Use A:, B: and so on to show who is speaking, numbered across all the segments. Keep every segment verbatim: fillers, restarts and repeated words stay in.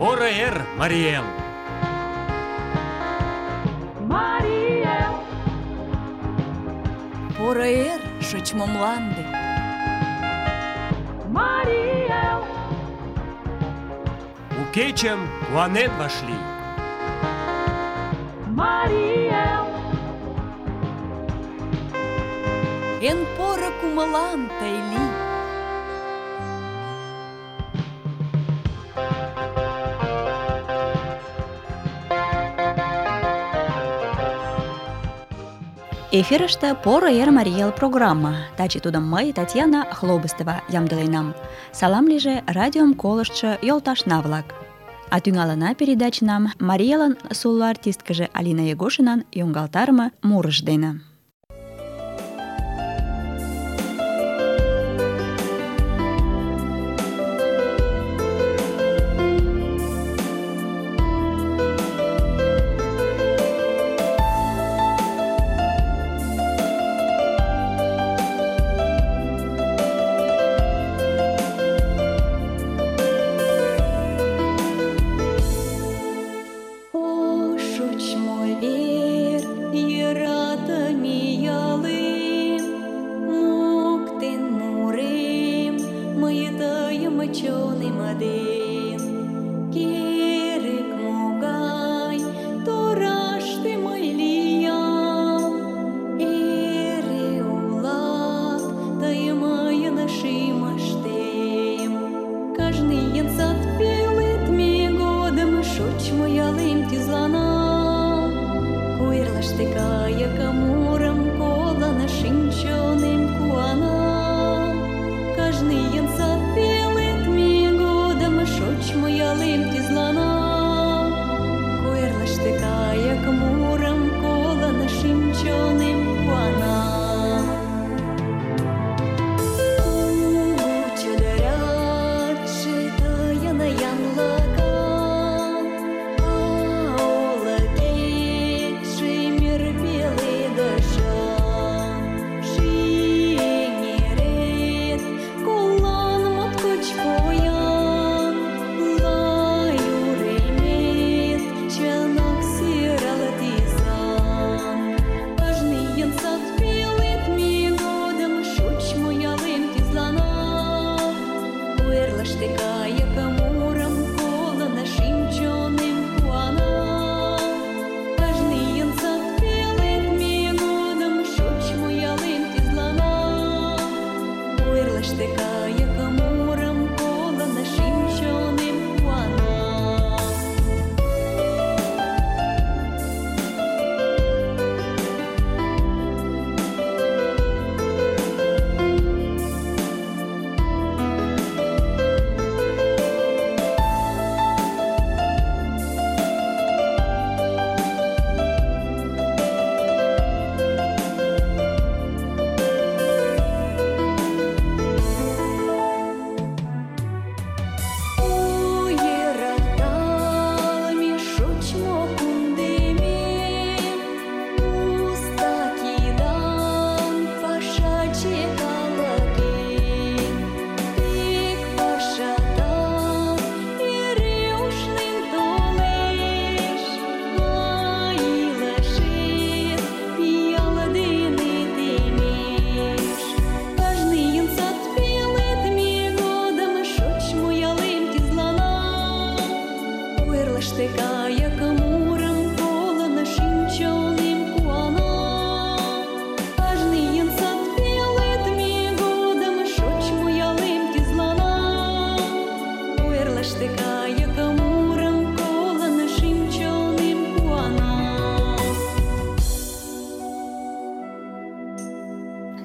A: Поро эр, Марий Эл!
B: Марий Эл!
C: Поро эр, шочмо мланде!
B: Марий Эл!
A: У кечым куанен вашлий!
B: Марий Эл!
C: Эн поро кумылан тый лий!
D: Эфирыште «Поро эр, Марий Эл» программа. Таче тудым мый, Татьяна Хлобыстова, ямдыленам. Салам лийже радиом колыштшо йолташна-влак. А тӱҥалына передачынам Марий Элын соло артисткыже Алина Егошинан йоҥгалтарыме мурыж дене.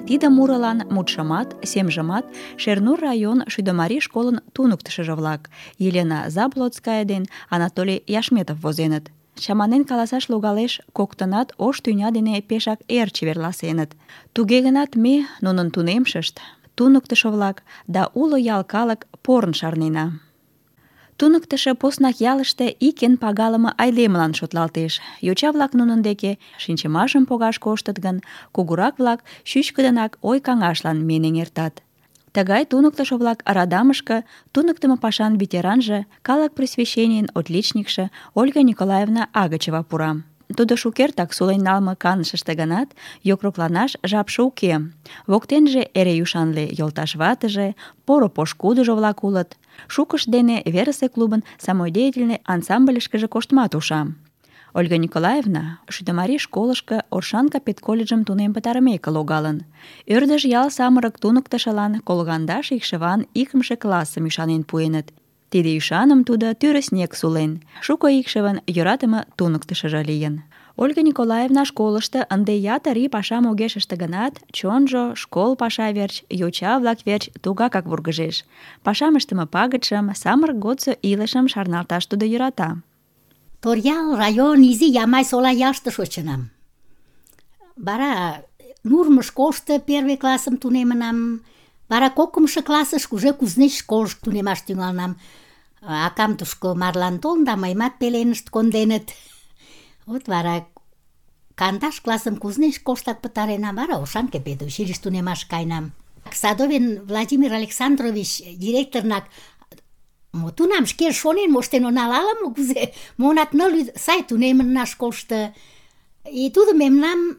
D: Тиде мурылан мутшымат, семжымат Шернур район Шӱдымарий школын туныктышыжо-влак Елена Заблоцкая ден Анатолий Яшметов возеныт. Чаманен каласаш логалеш, коктынат ош тӱня дене пешак эр чеверласеныт. Туге гынат ме, нунын тунемшышт, туныктышо-влак да уло ял калык порын шарнена. Туныктышо поснак ялыште ик эн пагалыме айдемылан шотлалтеш. Йоча-влак нунын деке шинчымашым погаш коштыт гын, кугурак-влак чӱчкыдынак ой-каҥашлан миен эҥертат. Тыгай туныктышо-влак радамышке туныктымо пашан ветеранже, калык просвещенийын отличникше Ольга Николаевна Агачева пура. Тудо шукертак сулен налме канышыште гынат, йокрокланаш жапше уке. Воктенже эре ӱшанле йолташ ватыже, поро пошкудыжо-влак улыт. Шукышт дене верысе клубын самодеятельный ансамбльышкыже коштмат уша. Ольга Николаевна Шӱдымарий школышко Оршанка педколледжым тунем пытарымеке логалын. Ӧрдыж ял самырык туныктышылан колгандаш икшыван икымше классым ӱшанен пуэныт. Тиде ӱшаным тудо тӱрыснек сулен, шуко икшывын йӧратыме туныктышыжо лийын. Ольга Николаевна школышто ынде ятыр ий пашам огеш ыште гынат, чонжо школ паша верч, йоча-влак верч тугакак вургыжеш. Пашам ыштыме пагытшым, самырык годсо илышым шарналташ тудо йӧрата.
E: Торъял район изи Ямай-Сола ялыште шочынам. Вара Нурмо школышто первый классым тунемынам. Вара кокымшо классышко уже Кузнеч школышко тунемаш тӱҥалынам. Акам тушко марлан толын да мыйымат пеленышт конденыт. Вот вара кандаш классым Кузнеч школыштак пытаренам, вара Оршанке педучилищ тунемаш каенам. Садовин Владимир Александрович директорнак мо тунам шке шонен моштен онал ала-мо кузе, монат ныл сай тунемынна школышто. И тудо мемнам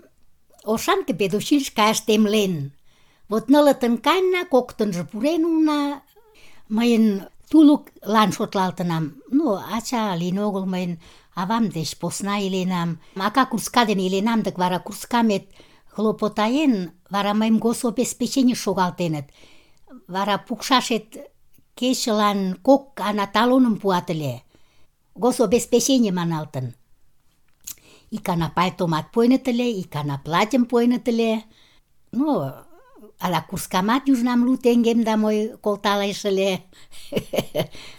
E: Оршанке педучилищ каяш темлен. Вот нылытын каенна, коктынжо пурен улына. Мыйын тулыклан шотлалтынам. Ну, ача лийын огыл, мыйын авам деч посна иленам. Ака курска дене иленам, дык вара курскамет хлопотаен, вара мыйым гособеспеченийыш шогалтеныт. Вара пукшашет кечылан кок ана талоным пуат ыле. Гособеспечений маналтын. Ик ана пальтомат пуэныт ыле, ик ана платьым пуэныт ыле. Ну, ала курскамат южнам лу теҥгем да мой колталеш ыле.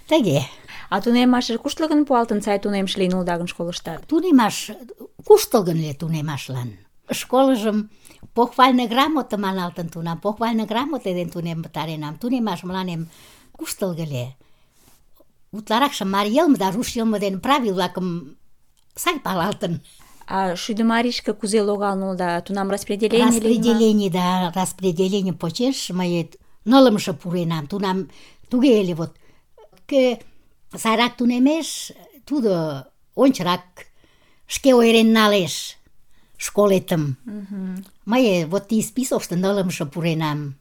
E: Тыге.
D: А тунемашыже куштылгын пуалтын сай тунемше лийын улыда гын школыштат?
E: Тунемаш куштылгын ыле тунемашлан. Школыжым похвальный грамота маналтын тунам, похвальный грамота дене тунем пытаренам. Тунемаш мыланем куштылго ыле. Утларакше марий йылме да руш йылме дене правил-влакым сай палалтын.
D: А Шӱдымарийышке кузе логалын улыда? Тунам распределение лийын ма?
E: Распределение, да, распределение почеш мый нылымше пуренам. Тунам туге ыле вот. Кӧ сайрак тунемеш, тудо ончырак шке ойырен налеш школетым. Мый вот тиде списокышто нылымше пуренам.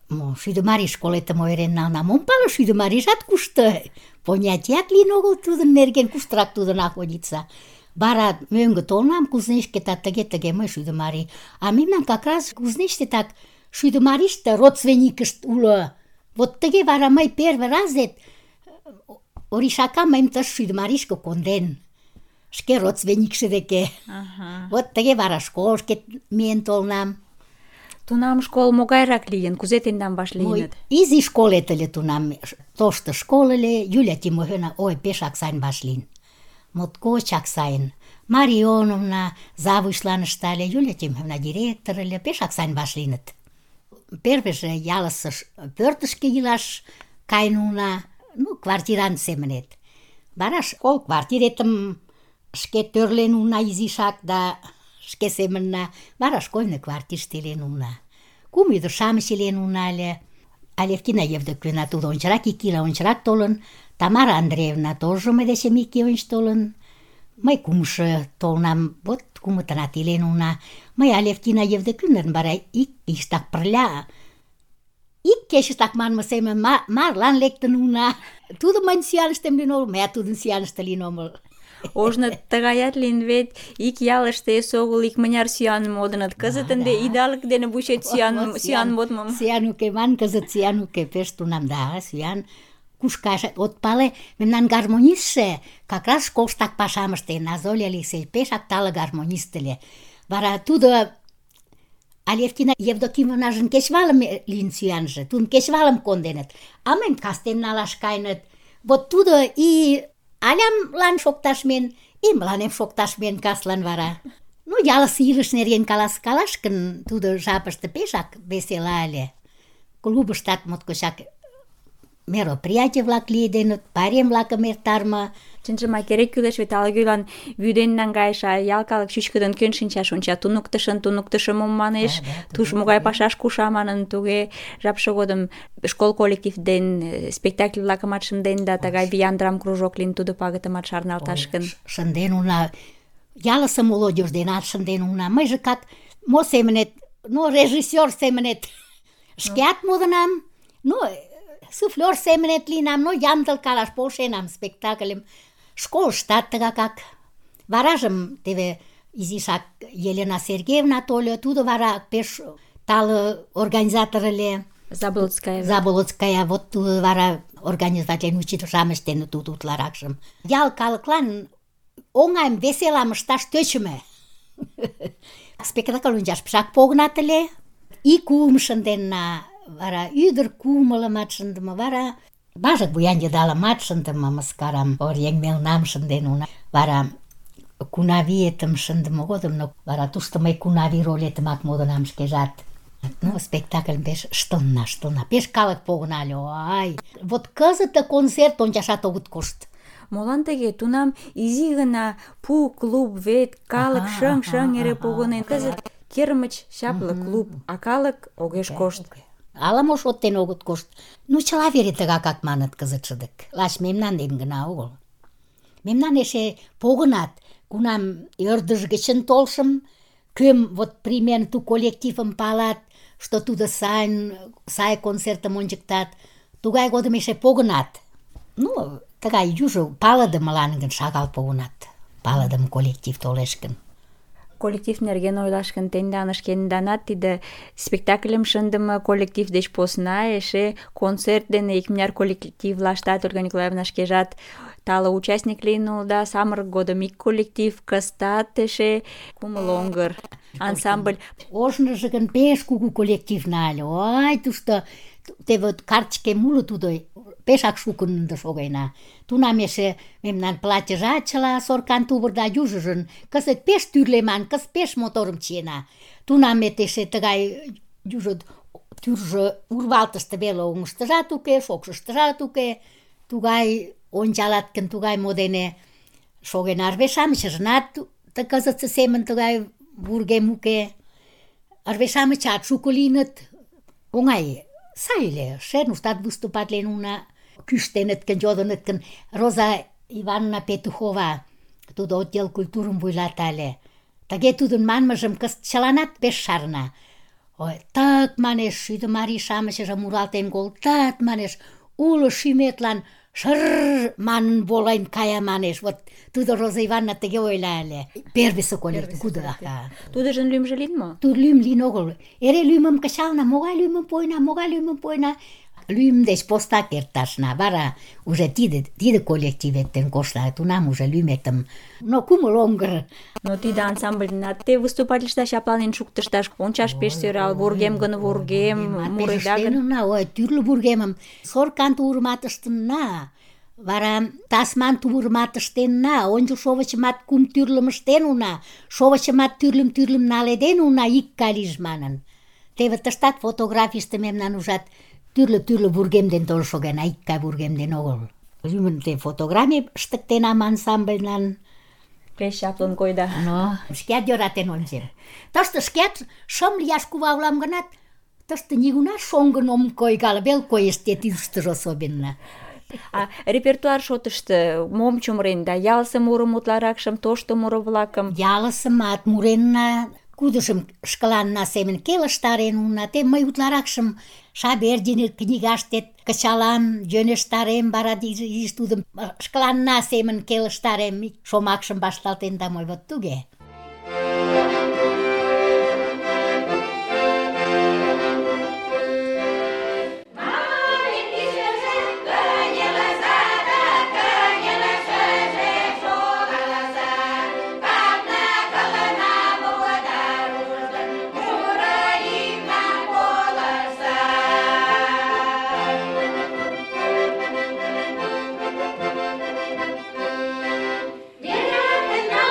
E: Мо, Шӱдымарий школетым ойырен налынам. Ом пале, Шӱдымарийжат кушто. Понятият лийын огыл тудын нерген, куштырак тудо находится. Вара мӧҥгӧ толынам Кузнечкета, тыге-тыге мый Шӱдымарий. А мемнан как раз Кузнечте так Шӱдымарийыште родственникышт уло. Вот тыге вара мый первый разет Оришака мыйым тыш Шӱдымарийышке конден. Шке родственникше деке. Вот тыге вара школышкет миен толынам.
D: Тунам школ могайрак лийын? Кузе тендам вашлийыныт?
E: Изи школет ыле тунам. Тошто школ ыле. Юлия Тимофеевна, ой, пешак сайын вашлийын. Моткочак сайын. Мария Ионовна завучлан ыштале, Юлия Тимофеевна директор ыле, пешак сайын вашлийыныт. Первыйже ялысе пӧртышкӧ илаш каен улына, ну, квартирант семынет. Вара школ квартиретым шке тӧрлен улына изишак да шке семынна. Вара школьный квартирыште илен улына. Кум ӱдыр-шамыч илен улына ыле. Алевтина Евдокимовна тудо ончырак, ик ийла ончырак толын. Тамара Андреевна тоже мый дечем ик ий онч толын. Мый кумшо толынам, вот кумытынат илен улына. Мый Алевтина Евдокимовнан вара ик ийыштак пырля, ик кечыштак манме семын марлан лектын улына. Тудо мыйын сӱаныштем лийын огыл, мыят тудын сӱаныште лийын омыл.
D: Ожно тыгаят лийын вет, ик ялыште эсогыл икмыняр сӱаным модыныт. Кызыт ынде идалык дене вучет сӱан модмым.
E: Сӱан уке ман, кызыт сӱан уке, пеш тунам, да, сӱан куш кайыш. Вот пале, мемнан гармонистше как раз школыштак пашам ыштен. Азоля Алексеевич пешак тале гармонист ыле. Вара тудо Алевтина Евдокимовнажын кечывалым лийын сӱанже, тудым кечывалым конденыт, а мыйым кастен налаш каеныт. Вот тудо и Алямлан шокташ миен, и мыланем шокташ миен каслан вара. Ну, ялысе илыш нерген каласкалаш гын, тудо жапыште пешак весела ыле. Клубыштат моткочак мероприятий-влак лиеденыт, пайрем-влакым эртарыме.
D: Чынжымак керек кӱлеш, вет ала-кӧлан вӱден наҥгайыш, а ял калык чӱчкыдын кӧн шинчаш онча. Туныктышын туныктышо мом манеш,
E: Да, да,
D: туш
E: туге,
D: могай
E: туге.
D: пашаш куша манын, туге жапше годым школ коллектив ден спектакль-влакымат шынден да тыгай виян драм-кружок лийын, тудо пагытымат шарналташ гын.
E: Шынден уна, ялысе молодежь денат шынден уна. Мыйже как, мо семынет, ну, режиссёр семынет шкеат модынам, ну, суфлёр семынет лийынам, ну, ямдылкалаш полшенам спектакльым. Школыштат тыгакак. Варажым теве изишак Елена Сергеевна тольо, тудо вара пеш тале организатор ыле.
D: Заболоцкая.
E: Заболоцкая, вот тудо вара организатлен учитель-шам ыштеныт тудо утларакшым. Ял калыклан оҥайым, веселам ышташ тӧчымӧ. Спектакль ончаш пешак погынат ыле. И куым шынденна, вара ӱдыр кумылымат шындыме, вара важык буян йыдалымат шындыме, мыскарам, оръеҥ мелнам шынден уна. Вара Кунавиетым шындыме годым, но вара тушто мый Кунави ролетымак модынам шкежат. Ну, спектакльым пеш ыштылна, ыштылна. Пеш калык погынальо, ай. Вот кызыт концерт ончашат огыт кошт.
D: Молан тыге? Тунам изи гына пу клуб вет, калык
E: Ага,
D: шыҥ-шыҥ
E: ага,
D: эре
E: ага,
D: погынен. Кызыт кермыч чапле клуб, а калык огеш кошт.
E: Ала-мо шоттен огыт кошт. Ну, чыла вере тыгакак маныт кызытше дык. Лач мемнан ден гына огыл. Мемнан эше погынат, кунам ӧрдыж гычын толшым, кӧм вот примерно ту коллективым палат, что тудо сайын, сай концертым ончыктат, тугай годым эше погынат. Ну, тыгай южо палыдымылан гын шагал погынат. Палыдым коллектив толеш гын.
D: Коллектив нерген ойлаш гын, тендан шкенданат тиде спектакльым шындыме коллектив деч посна эше концерт дене икмыняр коллективлаштат Ольга Николаевна шкежат тале участник лийын улыда. Самырык годым ик коллектив, кызытат эше кумыл оҥгыр ансамбль.
E: Ожныжо гын пеш кугу коллектив нале. Ой, тушто теве картычкем уло тудо, пешак шукын ынде шогена. Тунам эше мемнан платьыжат чыла соркан тувыр да южыжын. Кызыт пеш тӱрлеман, кызыт пеш моторым чиена. Тунамет эше тыгай южо тӱржӧ урвалтыште веле оҥыштыжат уке, шокшыштыжат уке. Тугай ончалат гын, тугай мо дене шоген. Арвеш-шамычыжынат кызытсе семын тыгай вургем уке. Арвеш-шамычат шуко лийыныт. Оҥай, сай ыле. Шернуштат выступатлен уна. Кӱштеныт гын, йодыныт гын, Роза Ивановна Петухова, тудо отдел культурым вуйлата ыле. Тыге тудын манмыжым кызыт чыланат пеш шарна. Ой, тык, манеш, шӱдӧ марий-шамычыже муралтен колтат, манеш, уло шӱметлан шыр манын волен кая, манеш. Вот тудо Роза Ивановна тыге ойла ыле. Первыйсе коллектив, кудо, ага.
D: Тудыжын лӱмжӧ лийын мо?
E: Тудо лӱм лийын огыл. Эре лӱмым кычална, могай лӱмым пуэна, могай лӱмым пуэна. Лӱм деч посна керташна. Вара уже тиде, тиде коллектив эртен кошта, тунам уже лӱметым. Но кумыл оҥгыр.
D: Но тиде ансамбльнат те выступательышда чапланен шуктышташ, ончаш пеш сӧрал, вургем гын вургем, муреда гын.
E: Пешештенна, ой, тӱрлӧ вургемым. Соркан тувырымат ыштенна. Вара тасман тувырымат ыштенна, ончыл шовычымат кум тӱрлым ыштен уна, шовычымат тӱрлым-тӱрлым наледен уна, ик гай лийже манын. Теве тыштат фотографийыште мемнан ужат, тӱрлӧ-тӱрлӧ вургем ден толын шогена, ик гай вургем ден огыл. Лӱмын те фотографий ыштыктенам ансамбльлан.
D: Пеш чаплын койда.
E: Но шкеат йӧратен ончем. Тыште шкеат шым лияш кува улам гынат, тыште нигунам шоҥгын ом койгал, вел коэстет ӱштыжӧ особенно.
D: А репертуар шотышто мом чумыренда? Ялысе мурым утларакшым, тошто муро-влакым?
E: Ялысымат муренна, кудыжым шкаланна семын келыштарен уна. Те мый утларакшым Шабердин книгаштет кычалам, йӧнештарем, вара изиш тудым шкаланна семын келыштарем, шомакшым вашталтен да мой вот туге.
B: Деревня,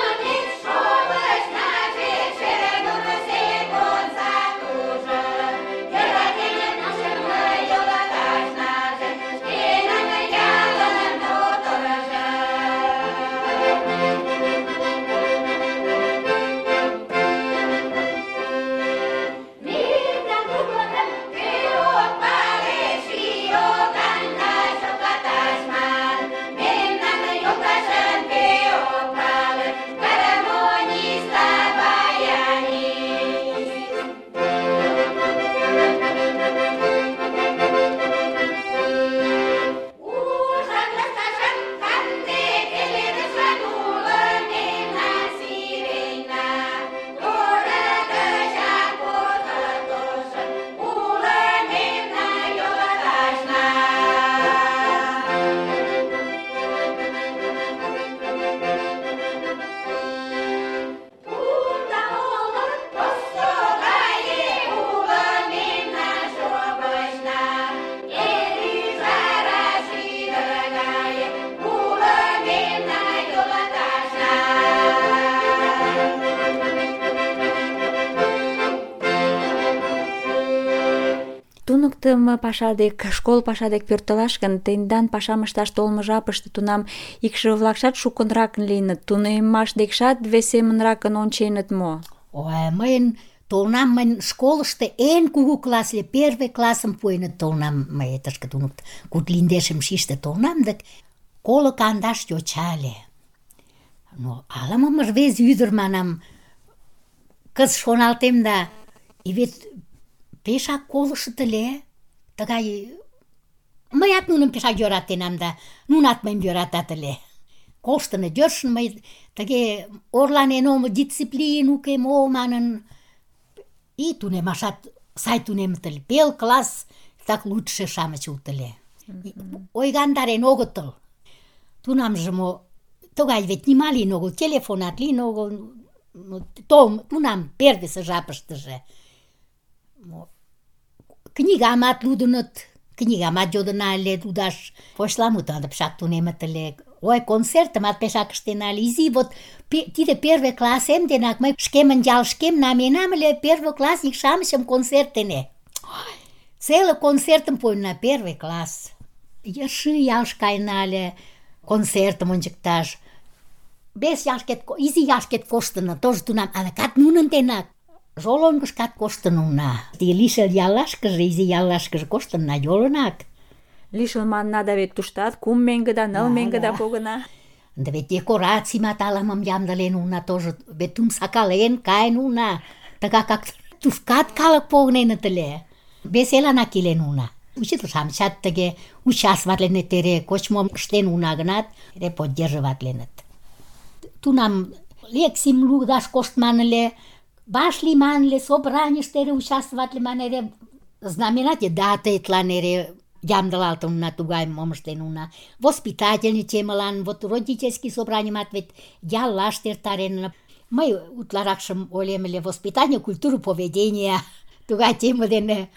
D: туныктымо паша дек, школ паша дек пӧртылаш гын, тендан пашам ышташ толмо жапыште тунам икшыве-влакшат шукынракын лийыныт, тунеммаш декшат вес семынракын онченыт мо?
E: Ой, мыйын толнам мыйын школышто эн кугу класс ле, первый классым пуэныт толнам, мый тышке туныкт, куд линдешым шиште толнам, дык коло кандаш йоча ыле. Но ала-мом рвезе ӱдыр манам, кыз шоналтем да, и вет пешак колышт ыле, тыгай... Мыят нуным пешак йӧратенам да, нунат мыйым йӧратат ыле. Коштыныт, йӧршын мый тыге орланен омыл, дисциплин уке мо манын, и тунемашат сай тунемыт ыле. Пел класс так лучше-шамыч улыт ыле. Ойгандарен огытыл. Тунамже мо, тыгай вет нима лийын огыл, телефонат лийын огыл, том, тунам первыйсе жапыштыже. Книгамат лудыныт, книгамат йодына ыле лудаш, почеламутым пешак тунемыт ыле. Ой, концертымат пешак ыштена ыле. Изи вот тиде первый классем денак мый шкемын ялышкем наменам ыле первый классник-шамычым концерт дене. Целый концертым пуэна, первый класс. Йыршы ялыш каена ыле концертым ончыкташ. Вес ялышкет, изи ялышкет коштына, тоже тунам адакат нунын денак. Жолонгышкат коштын уна. Лишыл яллашкыже, изи яллашкыже коштынна, йолынак.
D: Лишыл манна да вет туштат кум меҥгыда, ныл меҥгыда погына.
E: Да вет декорациймат ала-мом ямдылен уна тоже, вет тум сакален каен уна. Тыгакак тушкат калык погыненыт ыле. Веселанак илен уна. Учитель-шамычат тыге участватленыт эре, кочмом ыштен уна гынат, эре поддерживатленыт. Тунам лекцийым лудаш коштман ыле, баш лийман ыле, собранийыште эре участватлыман, эре знаменате датетлан эре ямдылалтын уна, тугай мом ыштен уна. Воспитательный темылан, вот родительский собраниемат вет яллаште эртарен. Мый утларакшым ойлем ыле, воспитание, культуру поведения, тугай тема дене.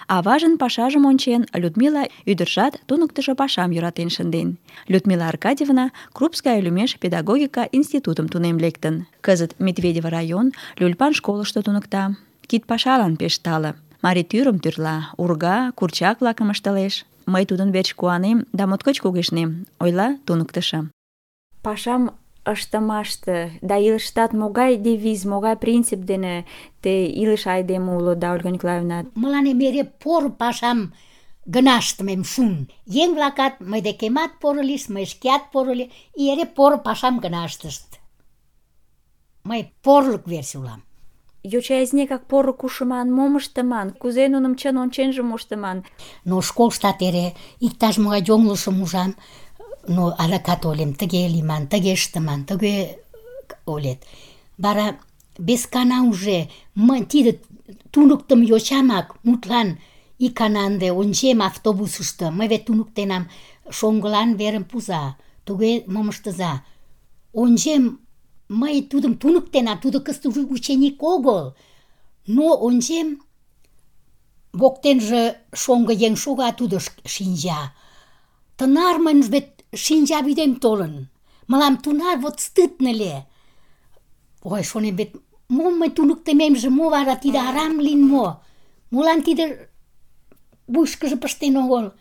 D: Аважын пашажым ончен, Людмила ӱдыржат туныктышо пашам йӧратен шынден. Людмила Аркадьевна Крупская лӱмеш педагогика институтым тунем лектын. Кызыт Медведево район Люльпан школышто туныкта. Кид пашалан пеш тале. Марий тӱрым тӱрла, урга, курчак-влакым ыштылеш. Мый тудын верч куанем да моткоч кугешнем, ойла туныктышо. Пашам ыштымаште да илыштат могай девиз, могай принцип дене те илыш айдеме улыда, Ольга Николаевна?
E: Мыланем эре поро пашам гына ыштымем шуын. Еҥ-влакат мый декемат поро лийышт, мый шкеат поро лий, и эре поро пашам гына ыштышт. Мый порлык верч улам.
D: Йоча-изнекак поро кушыман, мом ыштыман, кузе нуным чын онченже моштыман?
E: Но школыштат эре иктаж-могай йоҥылышым ужам, но адакат ойлем, тыге лийман, тыге ыштыман, тыге ойлет. Вара вескана уже мый тиде туныктымо йочамак мутлан икана ынде ончем автобусышто, мый вет туныктенам, шоҥгылан верым пуыза, туге мом ыштыза. Ончем, мый тудым туныктенам, тудо кызыт ученик огыл, но ончем, воктенже шоҥго еҥ шога, тудо шинча. Тынар мыйын вет шинча вӱдем толын. Мылам тунар вот стыдно ле. Ой, шонем, вет мом мый туныктымемже, мо вара тиде арам лийын мо? Молан тиде вуйышкыжо пыштен огыл?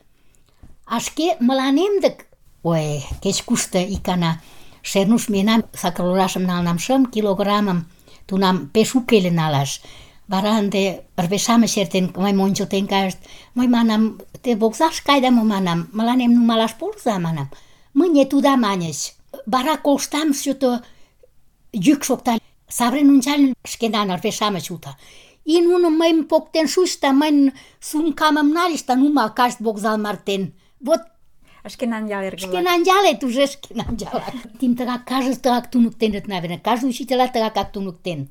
E: А шке мыланем дык, ой, кеч-кушто икана Шернуш миенам, сакыр налнам шым килограммым, тунам пеш уке ыле налаш. Вара ынде рве-шамыч эртен, мыйым ончылтен кайышт. Мый манам, те вокзалыш кайда мо, манам, мыланем нумалаш полза, манам. Мыне туда маньыч. Вара колыштам, что-то йӱк шокта. Савырен ончальым, шкенан рве-шамыч улыт. И нуно мыйым поктен шуйышт, да мыйын сумкамым нальыч, да нумал кайышт вокзал мартен. Вот
D: Шкенан ял эргылак.
E: Шкенан ялет уже шкенан ялак. Тим тыгак каждый тыгак туныктеныт, наверное. Каждый учителят тыгакак туныктен.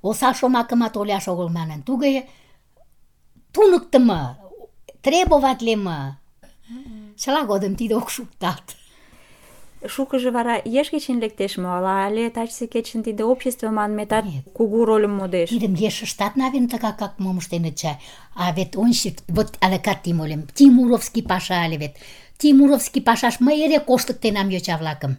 E: Осал шомакымат ойлаш огыл манын. Туге туныктымо, требоватлыме. Чыла годым тиде ок шукталт.
D: Шукыжо вара еш кечын лектеш мо, ала але тачысе кечын тиде общество манметат кугу рольым модеш?
E: Тидым ешыштат, наверное, тыгакак мом ыштеныт чай. А вет ончык, вот адакат тим ойлем, Тимуровский паша ыле вет. Тимуровский пашаш мый эре коштыктенам йоча-влакым.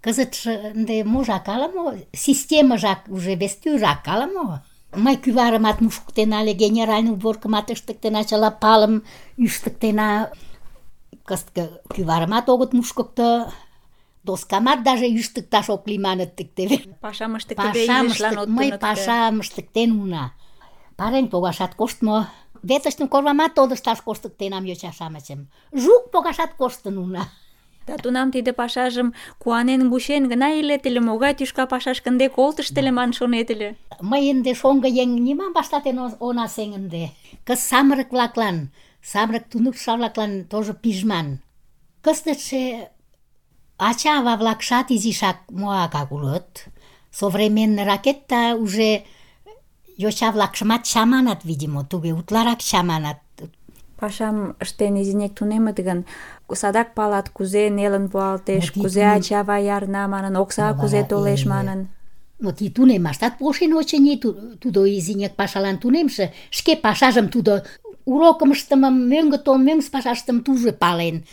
E: Кызытше ынде можак ала-мо, системыжак уже вес тӱрак ала-мо. Мый кӱварымат мушкыктена ыле, генеральный уборкымат ыштыктена, чыла палым ӱштыктена. Кызыт кӱварымат огыт мушкыкто, доскамат даже ӱштыкташ ок лий маныт теве.
D: Пашам ыштыктыде
E: Пашам
D: изишлан
E: ыштык...
D: от
E: Мый
D: туныкто.
E: пашам ыштыктен уна. Парень погашат коштмо. Веточным корвамат тодышташ коштыктенам йоча-шамычым. Жук погашат коштын уна.
D: Да тунам тиде пашажым куанен вучен гына илет ыле, могай тӱшка пашаш ынде колтышт ыле ман шонет ыле.
E: Мый ынде шоҥго еҥ нимам вашталтен она сеҥ ынде. Кыз самырык-влаклан, самырык туныктышо-влаклан тоже пижман. Кызытше ача-ава-влакшат изишак моагак улыт. Современный ракетта уже йоча-влакшымат чаманат, видимо, туге утларак чаманат.
D: Пашам ыштен изинек тунемыт гын, садак палат, кузе нелын пуалтеш,
E: Ну,
D: кузе
E: тидын-
D: ача-ава ярна манын, окса
E: Ну,
D: кузе
E: вара,
D: толеш
E: э,
D: манын.
E: Но ти тунемаштат полшен, очыни, тудо изинек пашалан тунемше, шке пашажым тудо урокым ыштымым, мӧҥгӧ толын, мӧҥгысӧ пашаштым туже пален.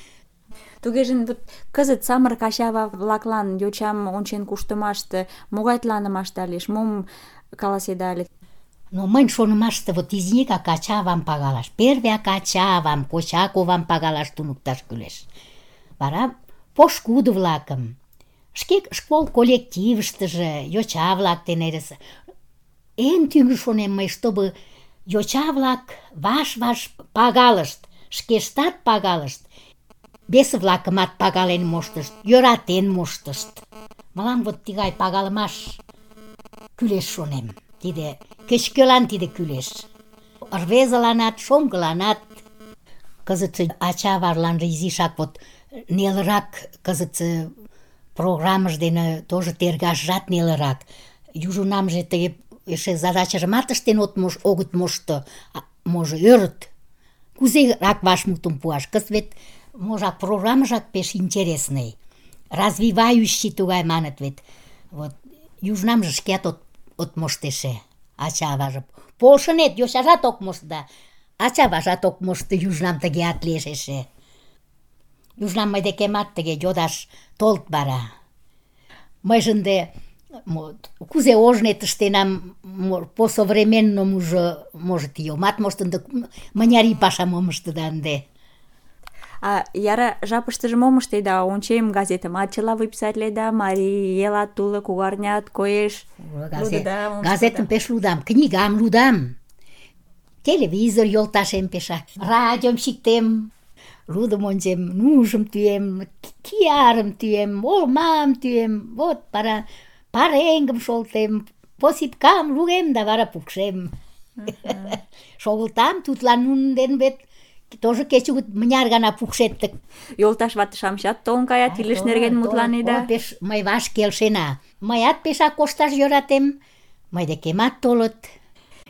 D: Тугеже вот кызыт самырык ача-ава-влаклан йочам ончен куштымаште могай тланымашда лиеш, мом каласеда ыле?
E: Но мыйын шонымаште вот изинекак ача-авам пагалаш, первяк ача-авам, коча-ковам пагалаш туныкташ кӱлеш. Вара пошкудо-влакым, шке школ коллективыштыже йоча-влак дене эресе. Эн тӱҥжӧ шонем мый, чтобы йоча-влак ваш-ваш пагалышт, шкештат пагалышт, весе-влакымат пагален моштышт, йӧратен моштышт. Мылам вот тыгай пагалымаш кӱлеш шонем. Тиде кеч-кӧлан тиде кӱлеш. Рвезыланат, шоҥгыланат. Кызытсе ача-аваланже изишак вот нелырак, кызытсе программыж дене тоже тергашжат нелырак. Южунамже тыге эше задачыжымат ыштен от мош, огыт мошто, а, можо ӧрыт. Кузерак вашмутым пуаш? Кызыт вет можак программыжак пеш интересный. Развивающий тугай маныт вет. Вот южнамже шкеат от от моштеше, ача-аваже. Полшынет, йочажат ок мошто да, ача-аважат ок мошто, южнам тыгеат лиеш эше. Южнам мый декемат тыге йодаш толыт вара. Мыйже ынде мо, кузе ожнет ыштенам, мо, по современному уже, может, и омат мошто, ынде мыняр ий пашам ом ыштеда ынде.
D: А яра жапыштыже мом ыштеда? Ончем, газетымат чыла выписатледа, Марий Элат уло, Кугарнят коеш. Лудыда, мом
E: Газетым
D: ыштеда?
E: пеш лудам, книгам лудам. Телевизор йолташем пешак. Радиом чиктем, лудым ончем, нужым тӱем, киярым тӱем, олмам тӱем, вот вара пареҥгым шолтем, посипкам лугем да вара пукшем. Шогылтам, тудлан нунын ден вет тоже кечыгут мыняр гана пукшет тык.
D: Йолташ вате-шамычат толын каят, илыш нерген мутланеда.
E: О, пеш мый ваш келшена. Мыят пешак кошташ йӧратем, мый декемат толыт.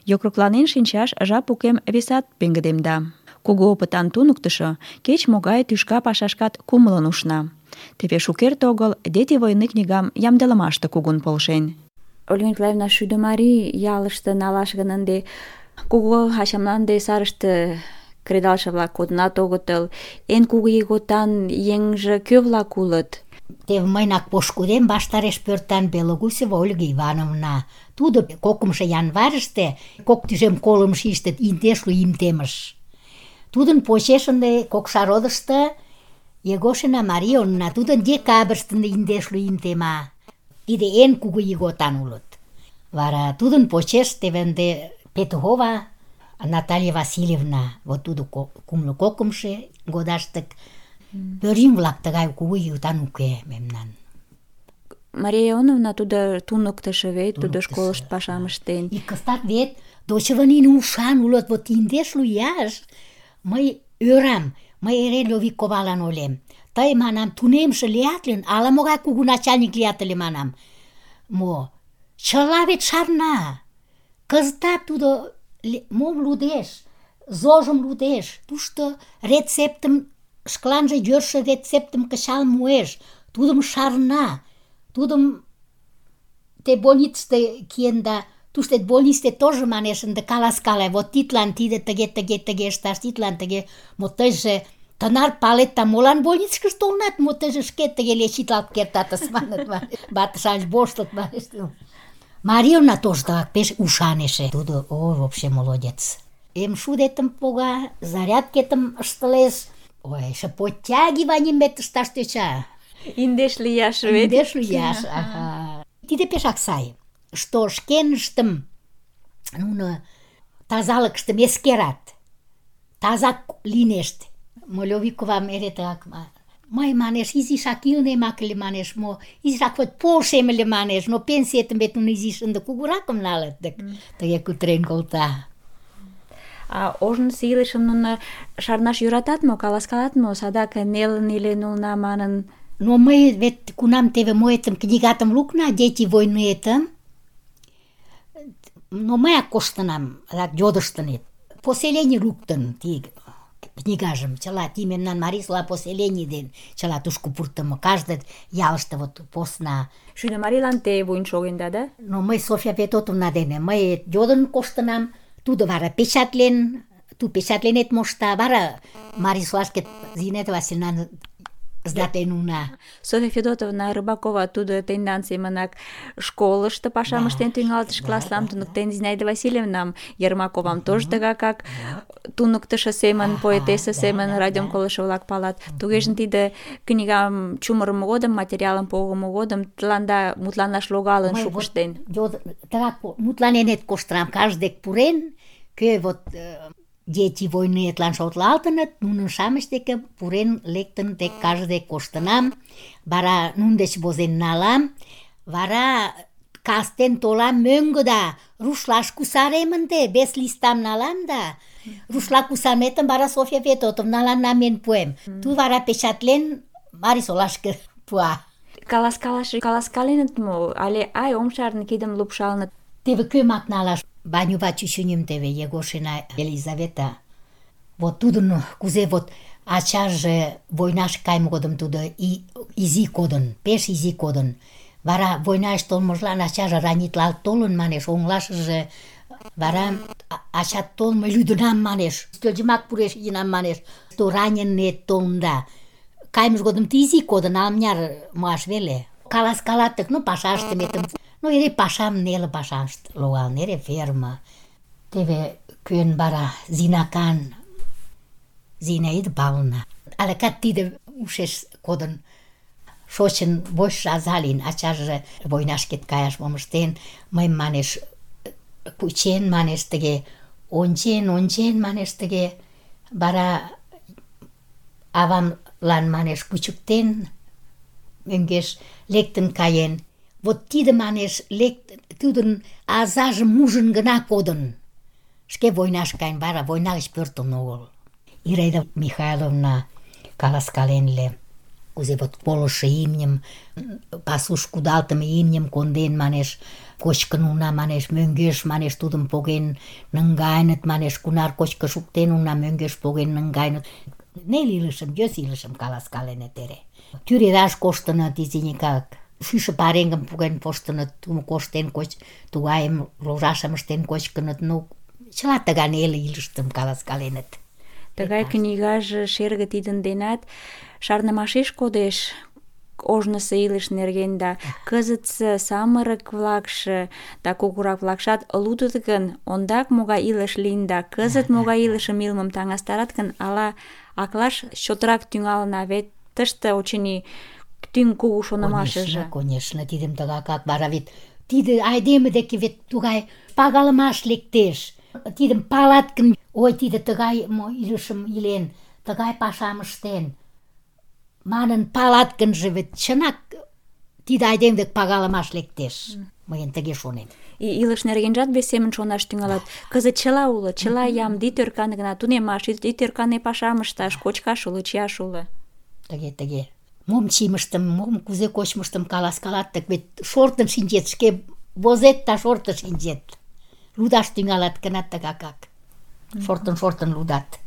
D: Йокрокланен шинчаш жап укем весат пеҥгыдемда. Кугу опытан туныктышо кеч-могай тӱшка пашашкат кумылын ушна. Теве шукерте огыл «Дети войны» книгам ямдылымаште кугун полшен. Ольга Николаевна, шӱдӧ марий ялыште налаш гын ынде кугу ачамлан ынде сарыште кредалше-влак кодынат огытыл. Эн кугу ийготан еҥже кӧ-влак улыт?
E: Теве мыйнак пошкудем ваштареш пӧртан Белогусева Ольга Ивановна. Тудо кокымшо январьыште кок тӱжем колым шийыште индешлу ийым темыш. Тудын почеш ынде Кокшародышто Егошина Марионна, тудын декабрьыште индешлу ийым тема. Тиде эн кугу ийготан улыт. Вара тудын почеш теве ынде Петухова Наталья Васильевна, вот тудо кумло кокымшо годаштык. Пӧръеҥ-влак тыгай кугу ийготан уке мемнан.
D: Мария Ионовна тудо туныктышо вет, тудо
E: Туныктышо,
D: школышто пашам ыштен.
E: И кызытат вет дочевы нине ушан улыт, вот индешлу ияш. Мый ӧрам, мый эре Лёвиковалан ойлем. Тый, манам, тунемше лият гын, ала-могай кугу начальник лият ыле, манам. Мо? Чыла вет шарна. Кызытат тудо мом лудеш? Зожым лудеш. Тушто рецептым, шкаланже йӧршӧ рецептым кычал муэш. Тудым шарна. Тудым те больницыште киенда, туштет больницте тоже манеш ынде каласкале, вот тидлан тиде тыге, тыге, тыге ышташ, тидлан тыге. Мо тыйже тынар палет, да молан больницкыш толынат, мо тыйже шке тыге лечитлалт кертатыс, маныт, вате-шамыч воштылыт, манеш. Марьевна тоже так, пеш ушан эше. Тудо, ой, вообще молодец. Эм шудетым пога, зарядкетым ыштылеш. Ой, эше подтягиванийым ышташ тӧча.
D: Индеш лияш вет.
E: Индеш лияш, ага. Тиде пешак сай. Что шкеныштым нуно тазалыкыштым эскерат. Тазак линешт. Молёвиковам эре тыгак мый, манеш, изишак илнемак ыле, манеш, мо, изишак вот полшем ыле, манеш, но пенсиетым вет нуно изиш ынде кугуракым налыт, дык тыге кутырен колта.
D: А ожнысо илышым нуно шарнаш йӧратат мо, каласкалат мо, садак нелын илен улына манын?
E: Но мый вет кунам теве моэтым книгатым лукна, «Дети войныетым», но мыяк коштынам, адак йодыштыныт. Поселений луктын ти книгажым, чыла ти мемнан Марисола поселений ден чыла тушко пуртымо, каждый ялыште вот посна.
D: Шӱдӧ-Марийлан те вуйын шогенда, да?
E: Но мый Софья Петотовна дене мый йодын коштынам, тудо вара печатлен, ту печатленет мошта, вара Марисолашке Зинета Васильевна сдатен уна.
D: Софья Федотовна Рыбакова тудо тендан семынак школышто пашам ыштен тӱҥалтыш, класслам туныктен, Зинаида Васильевнам, Ермаковам тоже тыгакак туныктышо семын, поэтесса семын радиом колышо-влак палат. Тугеже тиде книгам чумырымо годым, материалым погымо годым тыланда мутланаш логалын шукышт ден.
E: Тыгак мутланенет коштынам, каждый дек пурен, кӧ вот «Дети войныетлан» шотлалтыныт, нунын шамыч деке пурен лектын тек каждый дек коштынам, вара нун деч возен налам, вара кастен толам мӧҥгӧ да рушлаш кусарем ынде, вес листам налам да рушла кусаметым вара Софья Петотовналан намен пуэм. Ту вара печатлен Марисолашке пуа.
D: Каласкалаш каласкаленыт мо, але ай ом шарне кидым лупшалыныт?
E: Теве кӧмак налаш? Банюва чӱчӱньым теве, Егошина Елизавета. Вот тудын кузе вот ачаже войнаш кайме годым тудо и, изи кодын, пеш изи кодын. Вара войнаш толмыжлан ачаже ранитлалт толын, манеш, оҥлашыже. Вара ачат толмо лӱдынам, манеш, ӱстелжымак пуреш йӱынам, манеш, то раненыет толында. Кайымыж годым ты изи кодын, ала-мыняр муаш веле. Каласкалат тык, ну, паша ыштыметым. Ну, эре пашам, неле пашам логалын, эре ферма. Теве кӧн вара Зинакан, Зинаида Павловна. Алякат тиде ушеш кодын. Шочын вочшо аза лийын, ачаже войнашкет каяш мом ыштен, мыйым, манеш, кучен, манеш, тыге, ончен, ончен, манеш, тыге, вара авамлан, манеш, кучыктен, мӧҥгеш лектын каен. Вот тиде, манеш, лект, тудын азажым ужын гына кодын. Шке войнаш каен, вара война гыч пӧртылын огыл. Ираида Михайловна каласкален ыле, кузе вот колышо имньым, пасуш кудалтыме имньым конден, манеш, кочкын уна, манеш, мӧҥгеш, манеш, тудым поген наҥгайыныт, манеш, кунар кочкын шуктен уна, мӧҥгеш поген наҥгайыныт. Нел илышым, йӧс илышым каласкаленыт эре. Тӱредаш коштыныт изинекак. Шӱшӧ пареҥгым поген коштыныт, тумо коштен коч, тугайым ложашым ыштен кочкыныт, ну, чыла тыгай неле илышым каласкаленыт.
D: Тыгай книгаже шерге тидын денат шарнымашеш кодеш ожнысо илыш нерген да кызытсе самырык-влакше да кугурак-влакшат лудыт гын, ондак могай илыш лийын да кызыт могай илышым илымым таҥастарат гын, ала аклаш чотрак тӱҥалына, вет тыште, очыни, тӱҥ кугу шонымашыже.
E: Конечно, конечно, тидым тыгакак, вара вет тиде айдеме деке вет тугай пагалымаш лектеш. Тидым палат гын, ой, тиде тыгай мо илышым илен, тыгай пашам ыштен. Манын палат гынже, вет чынак тиде айдеме дек пагалымаш лектеш. Мыйын тыге шонем.
D: И илыш нергенжат вес семын шонаш тӱҥалат. Кызыт чыла уло, чыла ямде, ит ӧркане гына тунемаш, ит ӧркане пашам ышташ, кочкаш уло, чияш уло.
E: Тыге, тыге. Мом чийымыштым, мом кузе кочмыштым каласкалат, так вет шортын шинчет, шке возет да шортын шинчет. Лудаш тӱҥалат гына тыгакак. Шортын-шортын лудат.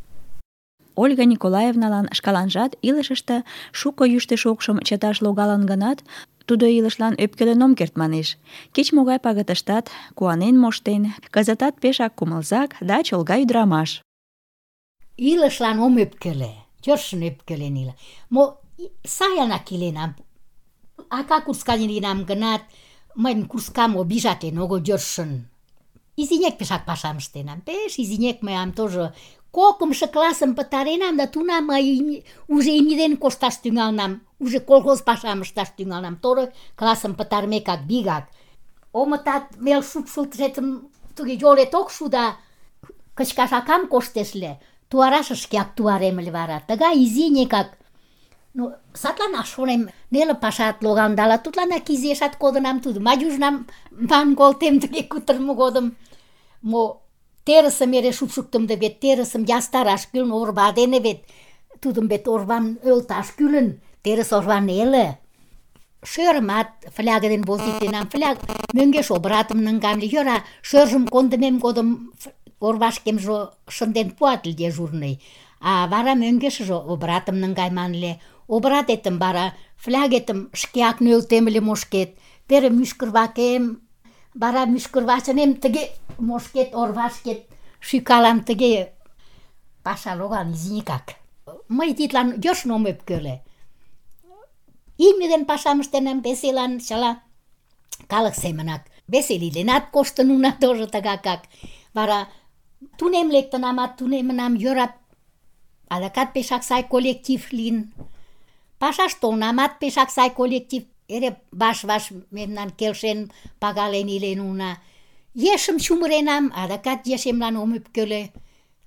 D: Ольга Николаевналан шкаланжат илышыште шуко йӱштӧ шокшым чыташ логалын гынат, тудо илышлан ӧпкелен ом керт, манеш. Кеч-могай пагытыштат куанен моштен, кызытат пешак кумылзак да чолга ӱдырамаш.
E: Илышлан ом ӧпкеле, йӧршын ӧпкелен ила. Мо сайынак иленам, ака курскан лийынам гынат, мыйын курскам обижатлен огыл йӧршын. Изинек пешак пашам ыштенам, пеш изинек мыям тоже кокымшо классым пытаренам, да тунам мый уже имнеден кошташ тӱҥалынам, уже колхоз пашам ышташ тӱҥалынам, второй классым пытарымекак вигак. Омытат мел шупшылтышетым туге йолет ок шу да кычкаш акам коштеш ыле. Туарашыш шкеак туарем ыле вара. Тыгай изинекак. Ну, садланак шонем, неле пашат логалдала, тудланак изиэшат кодынам тудым. Мадюжнам ман колтем тыге кутырымо годым. Мо терысым эре шупшыктымде вет, терысым ястараш кӱлын, орва дене вет. Тудым вет орвам ӧлташ кӱлын, терыс орва неле. Шӧрымат фляга дене возитленам, фляг мӧҥгеш обратым наҥгам ыле. Йӧра, шӧржым кондымем годым орвашкемже шынден пуат ыле дежурный. А вара мӧҥгешыже обратым наҥгайыман ыле. Обратетым вара флягетым шкеак нӧлтем ыле мошкет. Пере мӱшкырвакем, вара мӱшкырвачынем тыге мошкет, орвашкет шӱкалам, тыге паша логалын изинекак. Мый тидлан йӧршын ом ӧпкеле. Имне ден пашам ыштенам, веселан чыла калык семынак. Веселиленат коштын уна тоже тыгакак. Вара тунем лектынамат, тунемынам, йӧра, адакат пешак сай коллектив лийын. Пашаш толынамат, пешак сай коллектив. Эре ваш-ваш мемнан келшен, пагален илен уна. Ешым чумыренам, адакат ешемлан ом ӧпкеле.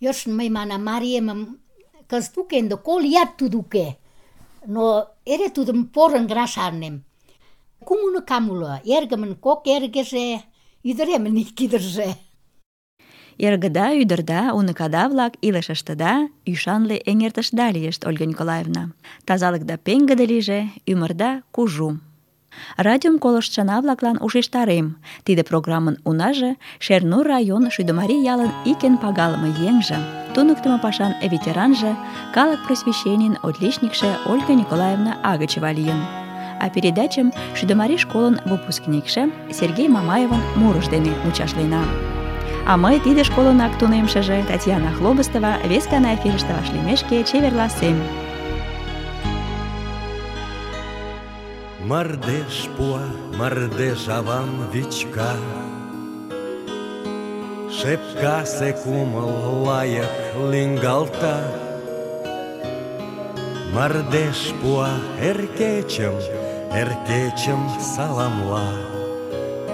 E: Йӧршын мый манам, мариемым кызыт уке, ынде кол ият тудо уке. Но эре тудым порын гына шарнем. Кум уныкам уло, эргымын кок эргыже, ӱдыремын ик ӱдыржӧ.
D: Эргыда, ӱдырда, уныкада-влак илышыштыда ӱшанле эҥертышда лийышт, Ольга Николаевна. Тазалыкда пеҥгыде лийже, ӱмырда кужу. Радиом колыштшына-влаклан ушештарем. Тиде программын унаже Шернур район Шӱдымарий ялын ик эн пагалыме еҥже, туныктымо пашан ветеранже, калык просвещенийын отличникше Ольга Николаевна Агычева лийын. А передачым Шӱдымарий школын выпускникше Сергей Мамаевын мурыж дене мучашлена. А мый тиде школынак тунемшыже Татьяна Хлобыстова вес гана эфирыште вашлиймешке чеверласем.
A: Мардеж пуа, мардеж авам вичка, шепкасе кумыл лайык лӱҥгалта. Мардеж пуа эр кечым, эр кечым саламла,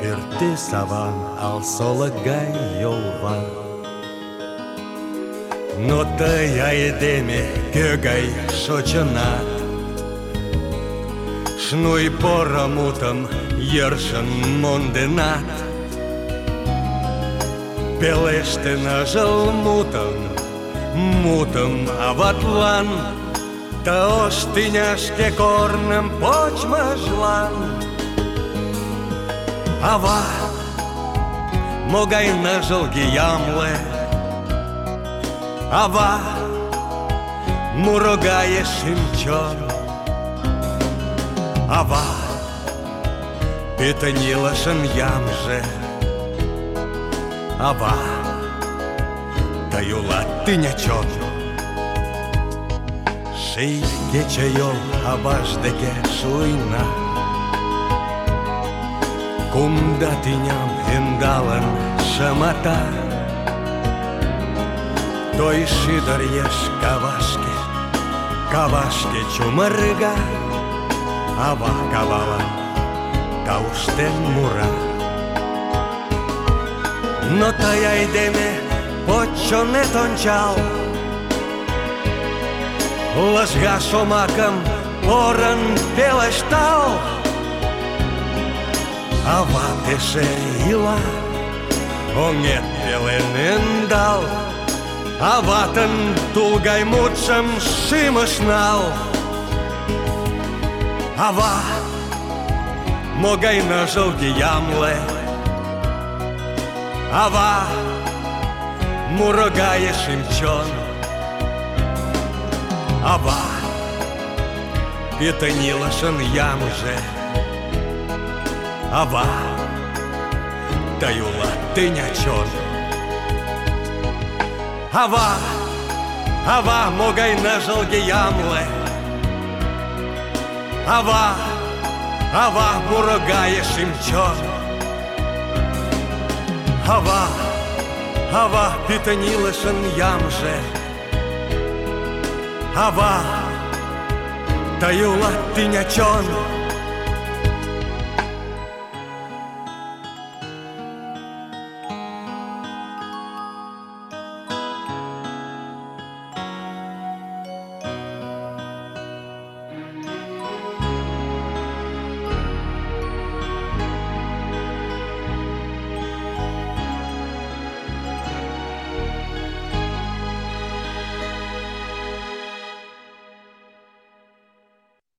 A: пӱртӱс аван ал солык гай йолва. Но тый айдеме кӧ гай шочынат, шнуй поро мутым йӧршын монденат. Пелеште ныжыл мутым, мутым аватлан, ты ош тӱняшке корным почмыжлан. Ава, могай ныжылге ямле, ава, муро гае шӱм-чон. Ава, пӱтынь илышын ямже, ава, тый улат тӱня чон. Ший кечыйол аваж деке шуйна, кумда тӱням ӧндалын шымата. Той шӱдыр еш кавашке, кавашке чумырга, ава кавалан тауштен мура. Но тый айдеме поч чонет ончал, лыжга шомакым порын пелештал. Ават эше ила, оҥет пелен ӧндал, аватын тул гай мутшым шӱмыш нал. Ава, могай ныжылге ямле, ава, муро гае шӱм-чон. Ава, пӱтынь илышын ямже, ава, тый улат тӱня чон. Ава, ава, могай ныжылге ямле, ава, ава муро гае шӱм-чон. Ава, ава пӱтынь илышын ямже. Ава, тый улат тӱня чон.